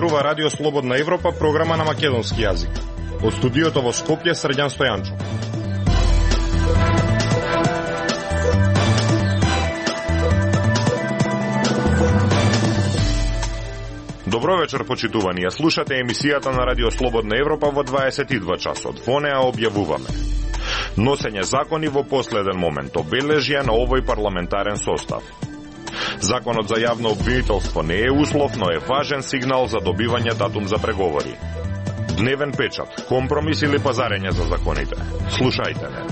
Зборува Радио Слободна Европа, програма на македонски јазик. Од студиото во Скопје, Срđan Стојанчо. Добро вечер, почитувани. Ја слушате емисијата на Радио Слободна Европа во 22 часот. Во неа објавуваме носење закони во последен момент, обележја на овој парламентарен состав. Законот за јавно обвинителство не е услов, но е важен сигнал за добивање датум за преговори. Дневен печат, компромис или пазарење за законите. Слушајте не.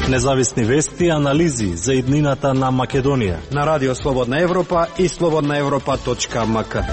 Независни вести и анализи за иднината на Македонија на Радио Слободна Европа и slobodnaevropa.mk.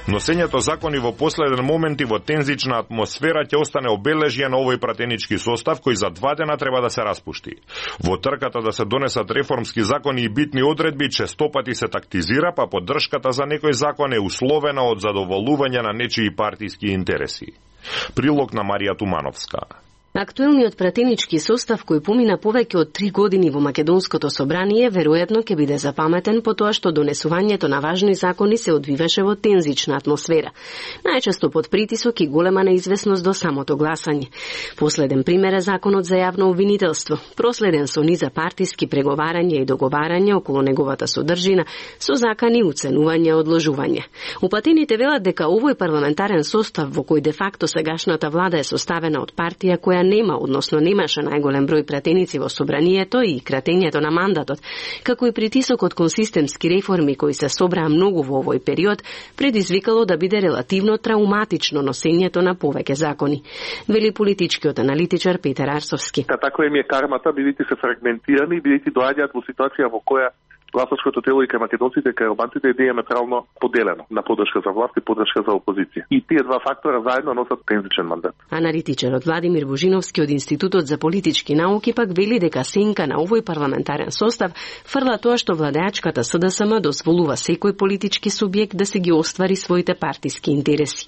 Носењето закони во последен момент и во тензична атмосфера ќе остане обележје на овој пратенички состав кој за 2 дена треба да се распушти. Во трката да се донесат реформски закони и битни одредби честопати се тактизира, па поддршката за некој закон е условена од задоволување на нечии партиски интереси. Прилог на Марија Тумановска. Актуелниот пратенички состав кој помина повеќе од 3 години во Македонското собрание веројатно ќе биде запаметен по тоа што донесувањето на важни закони се одвиваше во тензична атмосфера, најчесто под притисок и голема неизвестност до самото гласање. Последен пример е законот за јавно обвинителство, проследен со низа партиски преговарања и договарања околу неговата содржина, со закани уценување и одложување. Упатените велат дека овој парламентарен состав во кој де факто сегашната влада е составена од партија која нема, односно немаше најголем број пратеници во собранието и кратењето на мандатот, како и притисокот кон системски реформи кои се собраа многу во овој период, предизвикало да биде релативно трауматично носењето на повеќе закони. Вели политичкиот аналитичар Петар Арсовски. Таква им е кармата, бидејќи се фрагментирани, бидејќи доаѓаат во ситуација во која гласачкото тело и кај македонците и кај албанците е диаметрално поделено на поддршка за власт и поддршка за опозиција. И тие два фактора заедно носат тензичен мандат. Аналитичарот Владимир Божиновски од Институтот за политички науки пак вели дека сенка на овој парламентарен состав фрла тоа што владеачката СДСМ дозволува секој политички субјект да се ги оствари своите партиски интереси.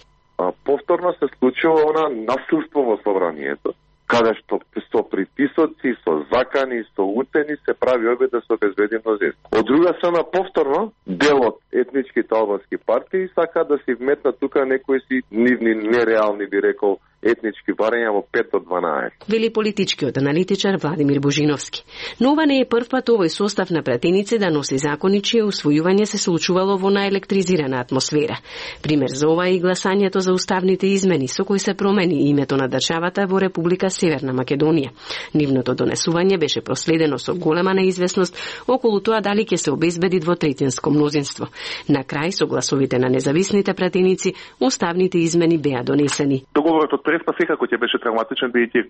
Повторно се случува она насилство во собранието, каде што со притисоци, со закани, со уцени се прави обид да се обезбеди мнозинство. Од друга страна, повторно, дел од етничките албански партии сака да се вметнат тука некои си нивни нереални, би рекол, етнички барања во 5 до 12. Вели политичкиот аналитичар Владимир Божиновски. Но ова не е прв пат овој состав на пратеници да носи закони чие усвојување се случувало во наелектризирана атмосфера. Пример за ова е и гласањето за уставните измени со кои се промени името на државата во Република Северна Македонија. Нивното донесување беше проследено со голема неизвестност околу тоа дали ќе се обезбеди двотретинско мнозинство. На крај, со гласовите на независните пратеници, уставните измени беа донесени. Договорот од Преспа секако ќе беше травматичен, бидејќи е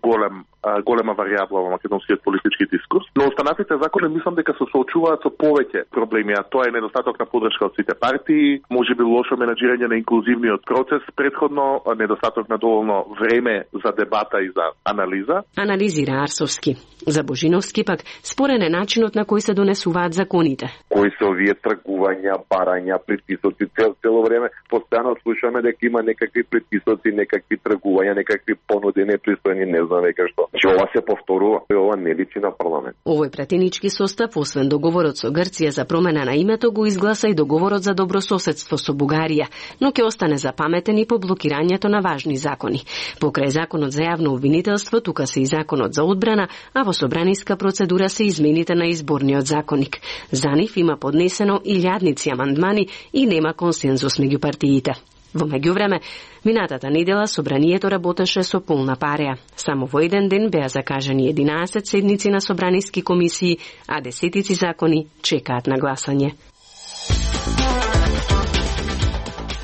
голема варијабла во македонскиот политички дискурс, но останатите закони мислам дека се соочуваат со повеќе проблеми, а тоа е недостаток на поддршка од сите партии, можеби лошо менаџирање на инклузивниот процес, претходно недостаток на доволно време за дебата и за анализа. Анализира Арсовски. За Божиновски пак спорен е начинот на кој се донесуваат законите. Кои се овие тргувања, барања, притисоци, цело време постојано слушаме дека има некакви притисоци, некакви тргувања, некакви понуди непристојни, не знам веќе што. Че ова се повторува, ова не личи на парламент. Овој пратенички состав, освен договорот со Грција за промена на името, го изгласа и договорот за добрососедство со Бугарија, но ќе остане запаметен и по блокирањето на важни закони. Покрај законот за јавно обвинителство, тука се и законот за одбрана, а во собраниска процедура се измените на изборниот законник. За нив има поднесено илјадници амандмани и нема консензус меѓу партиите. Во меѓувреме, минатата недела собранието работеше со полна пареа. Само во еден ден беа закажани 11 седници на собраниски комисии, а десетици закони чекаат на гласање.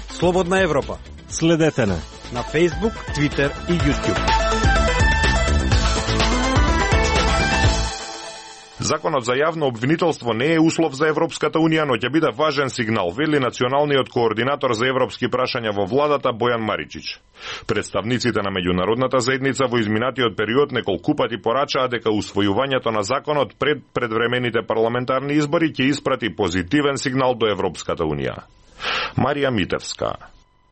Слободна Европа. Следете на Facebook, Twitter и YouTube. Законот за јавно обвинителство не е услов за Европската Унија, но ќе биде важен сигнал, вели националниот координатор за европски прашања во владата Бојан Маричич. Представниците на меѓународната заедница во изминатиот период неколку пати порачаа дека усвојувањето на законот пред предвремените парламентарни избори ќе испрати позитивен сигнал до Европската Унија. Марија Митевска.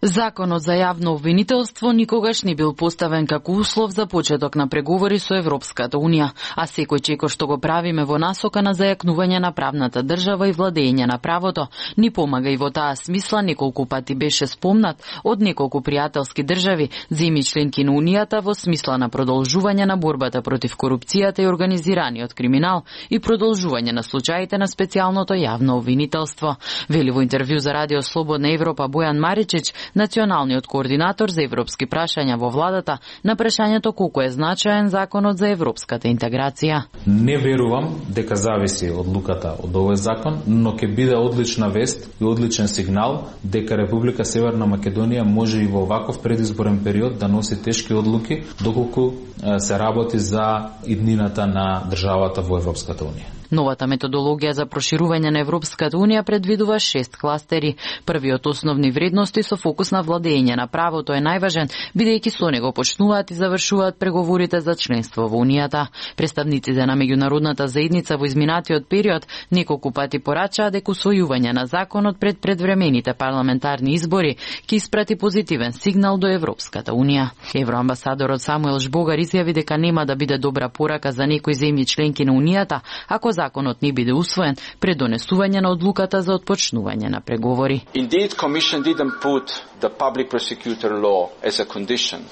Законот за јавно обвинителство никогаш не бил поставен како услов за почеток на преговори со Европската Унија, а секој чеко што го правиме во насока на зајакнување на правната држава и владење на правото, ни помага и во таа смисла неколку пати беше спомнат од неколку пријателски држави, земји членки на Унијата во смисла на продолжување на борбата против корупцијата и организираниот криминал и продолжување на случаите на специјалното јавно обвинителство. Вели во интервју за Радио Слободна Европа Бојан Маричич, националниот координатор за европски прашања во владата, на прашањето колку е значаен законот за европската интеграција. Не верувам дека зависи одлуката од овој закон, но ќе биде одлична вест и одличен сигнал дека Република Северна Македонија може и во ваков предизборен период да носи тешки одлуки доколку се работи за иднината на државата во Европската Унија. Новата методологија за проширување на Европската Унија предвидува 6 кластери. Првиот основни вредности со фокус на владење на правото е најважен, бидејќи со него почнуваат и завршуваат преговорите за членство во Унијата. Представниците на меѓународната заедница во изминатиот период неколку пати порачаа дека усвојување на законот пред предвремените парламентарни избори ќе испрати позитивен сигнал до Европската Унија. Евроамбасадорот Самуел Жбогар изјави дека нема да биде добра порака за некои земји членки на Унијата ако законот не биде усвоен пред донесување на одлуката за отпочнување на преговори.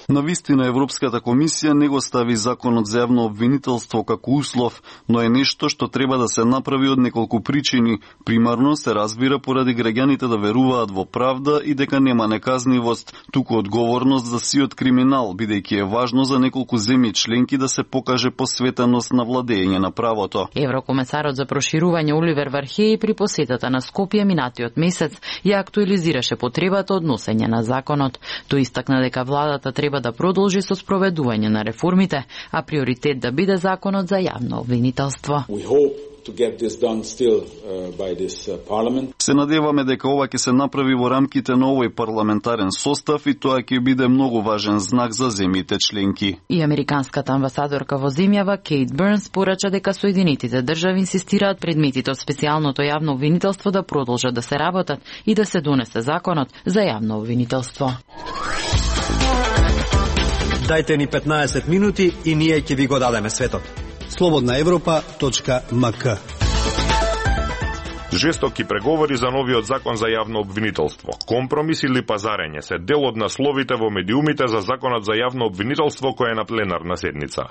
Навистина Европската комисија не го стави законот за јавно обвинителство како услов, но е нешто што треба да се направи од неколку причини. Примарно се разбира поради граѓаните да веруваат во правда и дека нема неказнивост, туку одговорност за сиот криминал, бидејќи е важно за неколку земји членки да се покаже посветеност на владење на правото. Еврокомесарот за проширување Оливер Вархеј при посетата на Скопје минатиот месец ја актуализираше потребата од носење на законот. Тој истакна дека владата треба да продолжи со спроведување на реформите, а приоритет да биде законот за јавно обвинителство. Се надеваме дека ова ќе се направи во рамките на овој парламентарен состав и тоа ќе биде многу важен знак за земјите членки. И американската амбасадорка во земјава Кейт Бернс порача дека Соединетите држави инсистираат предметите од специјалното јавно обвинителство да продолжат да се работат и да се донесе законот за јавно обвинителство. Дајте ни 15 минути и ние ќе ви го дадеме светот. slobodnaevropa.mk. Жестоки преговори за новиот закон за јавно обвинителство, компромис или пазарење се дел од насловите во медиумите за законот за јавно обвинителство кој е на пленарна седница.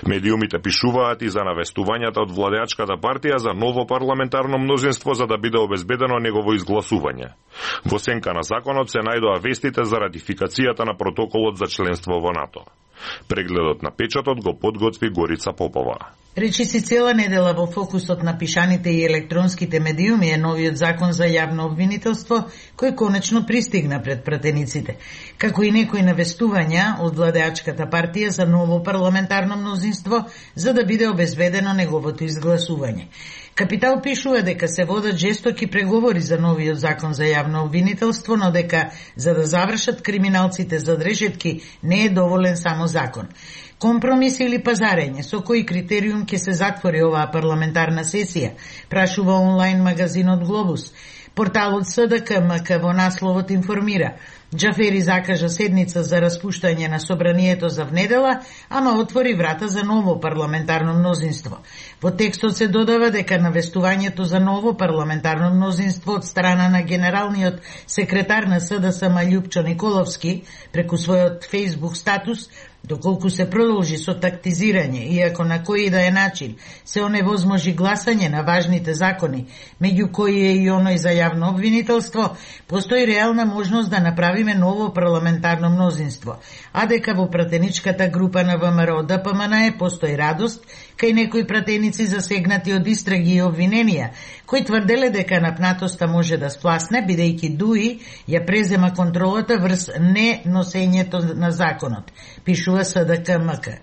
Медиумите пишуваат и за навестувањата од владеачката партија за ново парламентарно мнозинство за да биде обезбедено негово изгласување. Во сенка на законот се најдоа вестите за ратификацијата на протоколот за членство во НАТО. Прегледот на печатот го подготви Горица Попова. Речиси цела недела во фокусот на пишаните и електронските медиуми е новиот закон за јавно обвинителство, кој конечно пристигна пред пратениците, како и некои навестувања од владеачката партија за ново парламентарно мнозинство, за да биде обезбедено неговото изгласување. Капитал пишува дека се водат жестоки преговори за новиот закон за јавно обвинителство, но дека за да завршат криминалците за решетки не е доволен само закон. Компромис или пазарење, со кој критериум ќе се затвори оваа парламентарна сесија, прашува онлайн магазинот Глобус. Порталот СДК-МК во насловот информира: Џафери закажа седница за распуштање на собранието за внедела, ама отвори врата за ново парламентарно мнозинство. Во текстот се додава дека навестувањето за ново парламентарно мнозинство од страна на генералниот секретар на СДСМ Љупчо Николовски преку својот Facebook статус, доколку се продолжи со тактизирање, иако на кој да е начин се оневозможи гласање на важните закони, меѓу кои е и оној за јавно обвинителство, постои реална можност да направиме ново парламентарно мнозинство, а дека во пратеничката група на ВМРО ДПМН постои радост кај некои пратеници засегнати од истраги и обвиненија, кои тврделе дека напнатоста може да спласне, бидејќи ДУИ ја презема контролата врз неносењето на законот, пишува СДК-МК.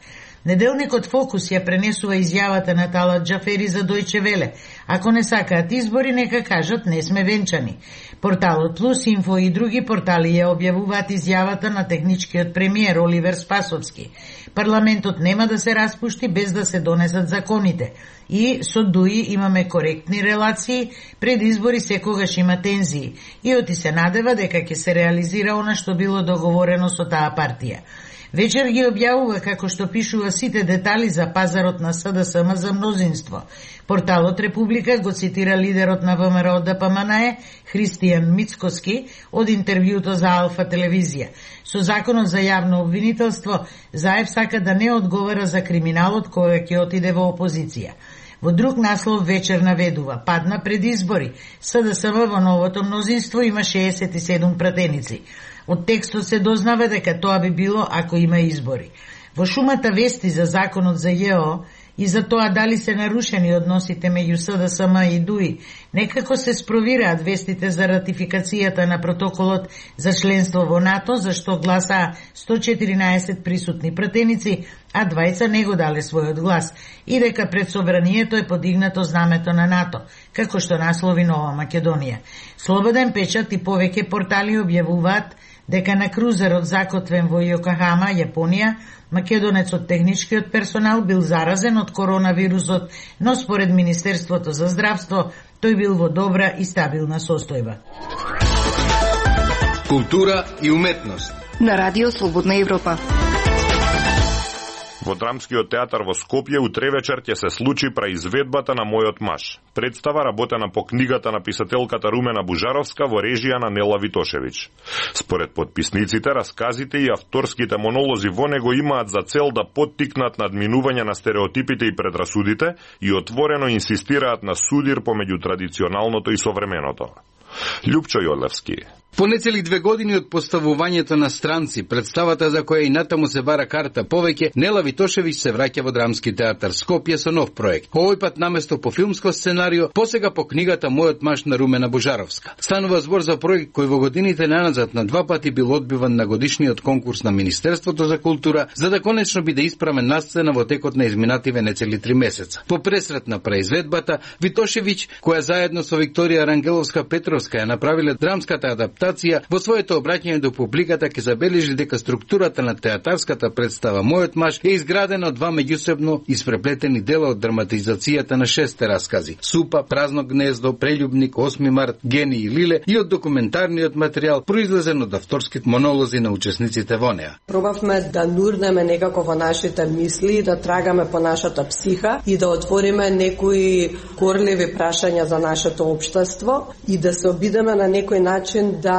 Неделникот Фокус ја пренесува изјавата на Талат Џафери за Дојче Веле. Ако не сакаат избори, нека кажат не сме венчани. Порталот Плюс, Инфо и други портали ја објавуваат изјавата на техничкиот премиер Оливер Спасовски. Парламентот нема да се распушти без да се донесат законите. И со ДУИ имаме коректни релации, пред избори секогаш има тензии. И оти се надева дека ќе се реализира она што било договорено со таа партија. Вечер ги објавува како што пишува сите детали за пазарот на СДСМ за мнозинство. Порталот Република го цитира лидерот на ВМРО ДПМНЕ Христијан Мицкоски од интервјуто за Алфа телевизија. Со законот за јавно обвинителство, Заев сака да не одговара за криминалот кој ќе отиде во опозиција. Во друг наслов Вечер наведува: падна пред избори. СДСМ во новото мнозинство има 67 пратеници. Од текстот се дознава дека тоа би било ако има избори. Во шумата вести за законот за ЈО и за тоа дали се нарушени односите меѓу СДСМ и ДУИ, некако се спровираат вестите за ратификацијата на протоколот за членство во НАТО, за што гласаа 114 присутни пратеници, а 20 не го дале својот глас, и дека пред собранието е подигнато знамето на НАТО, како што наслови Нова Македонија. Слободен печат и повеќе портали објавуваат дека на крузерот закотвен во Јокохама, Јапонија, македонецот техничкиот персонал бил заразен од коронавирусот, но според Министерството за здравство тој бил во добра и стабилна состојба. Култура и уметност на Радио Слободна Европа. Во Драмскиот театар во Скопје утре вечер ќе се случи преизведбата на Мојот маж. Представа работена по книгата на писателката Румена Бужаровска во режија на Нела Витошевич. Според подписниците, расказите и авторските монолози во него имаат за цел да поттикнат надминување на стереотипите и предрасудите и отворено инсистираат на судир помеѓу традиционалното и современото. Љупчо Јолевски. По нецели 2 години од поставувањето на странци, представата за која и натаму се бара карта повеќе, Нела Витошевич се враќа во Драмски театар Скопје со нов проект. Овој пат наместо по филмско сценарио, посега по книгата Мојот маж на Румена Бужаровска. Станува збор за проект кој во годините наназад на 2 пати бил одбиван на годишниот конкурс на Министерството за култура, за да конечно биде испрамен на сцена во текот на изминативе нецели 3 месеца. По пресрет на преизведбата, Витошевич, која заедно со Викторија Рангеловска Петровска ја направиле драмската адаптација, во своето обраќање до публиката ќе забележи дека структурата на театарската представа Мојот маж е изградена од 2 меѓусебно испреплетени дела од драматизацијата на 6 раскази: Супа, Празно гнездо, Прелюбник, 8 март, Гени и Лиле, и од документарниот материјал произлезен од авторските монолози на учесниците во неа. Пробавме да нурнеме некако во нашите мисли, да трагаме по нашата психа и да отвориме некои корливи прашања за нашето општество и да се обидеме на некој начин да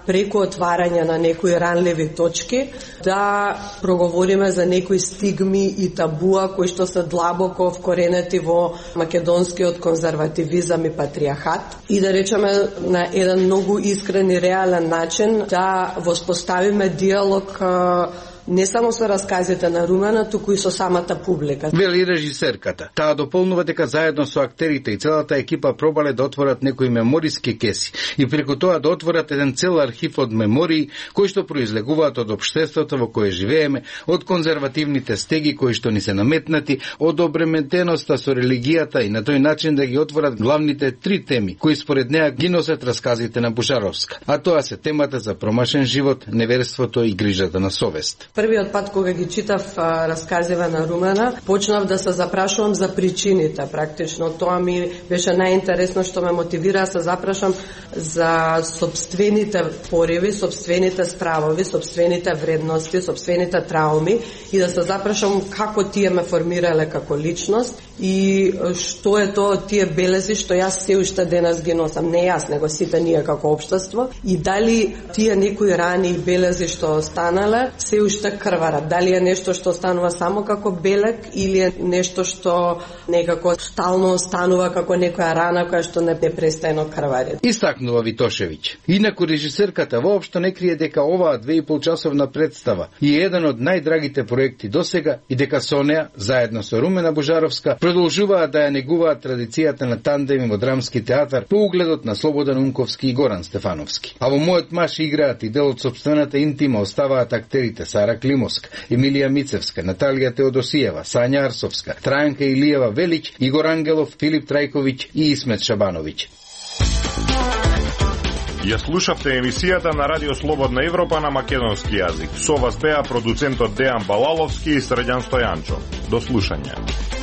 преку отварање на некои ранливи точки да проговориме за некои стигми и табуа кои што се длабоко вкоренети во македонскиот конзервативизам и патриархат и да речеме на еден многу искрен и реален начин да воспоставиме диалог не само со расказите на Румена, туку и со самата публика. Вели режисерката. Таа дополнува дека заедно со актерите и целата екипа пробале да отворат некои мемориски кеси и преку тоа да отворат еден цел архив од мемории кои што произлегуваат од општеството во кое живееме, од конзервативните стеги кои што ни се наметнати, од обременетеноста со религијата и на тој начин да ги отворат главните 3 теми кои според неа ги носат расказите на Бужаровска. А тоа се темата за промашен живот, неверството и грижата на совест. Првиот пат кога ги читав расказиве на Румена, почнав да се запрашувам за причините. Практично тоа ми беше најинтересно што ме мотивира да се запрашам за собствените пориви, собствените стравови, собствените вредности, собствените трауми и да се запрашам како тие ме формирале како личност и што е тоа тие белези што јас се уште денес ги носам. Не јас, него сите ние како општество и дали тие некои рани и белези што останале се уште крварат. Дали е нешто што останува само како белег или е нешто што некако стално останува како некоја рана која што не престајно крвари. Истакнува Витошевич. Инаку режисерката воопшто не крие дека оваа 2,5 часовна представа е еден од најдрагите проекти досега и дека со неа, заедно со Румена Бужаровска, продолжуваат да ја негуваат традицијата на тандеми во Драмски театар по угледот на Слободан Унковски и Горан Стефановски. А во Мојот маж играат и дел од собствената интима оставаат актерите Сара Вара Климовска, Емилија Мицевска, Наталија Теодосиева, Сања Арсовска, Трајанка Илиева Велич, Игор Ангелов, Филип Трајковиќ и Исмет Шабановиќ. Ја слушавте емисијата на Радио Слободна Европа на македонски јазик. Со вас беа продуцентот Дејан Балаловски и Срđan Стојанчо. До слушање.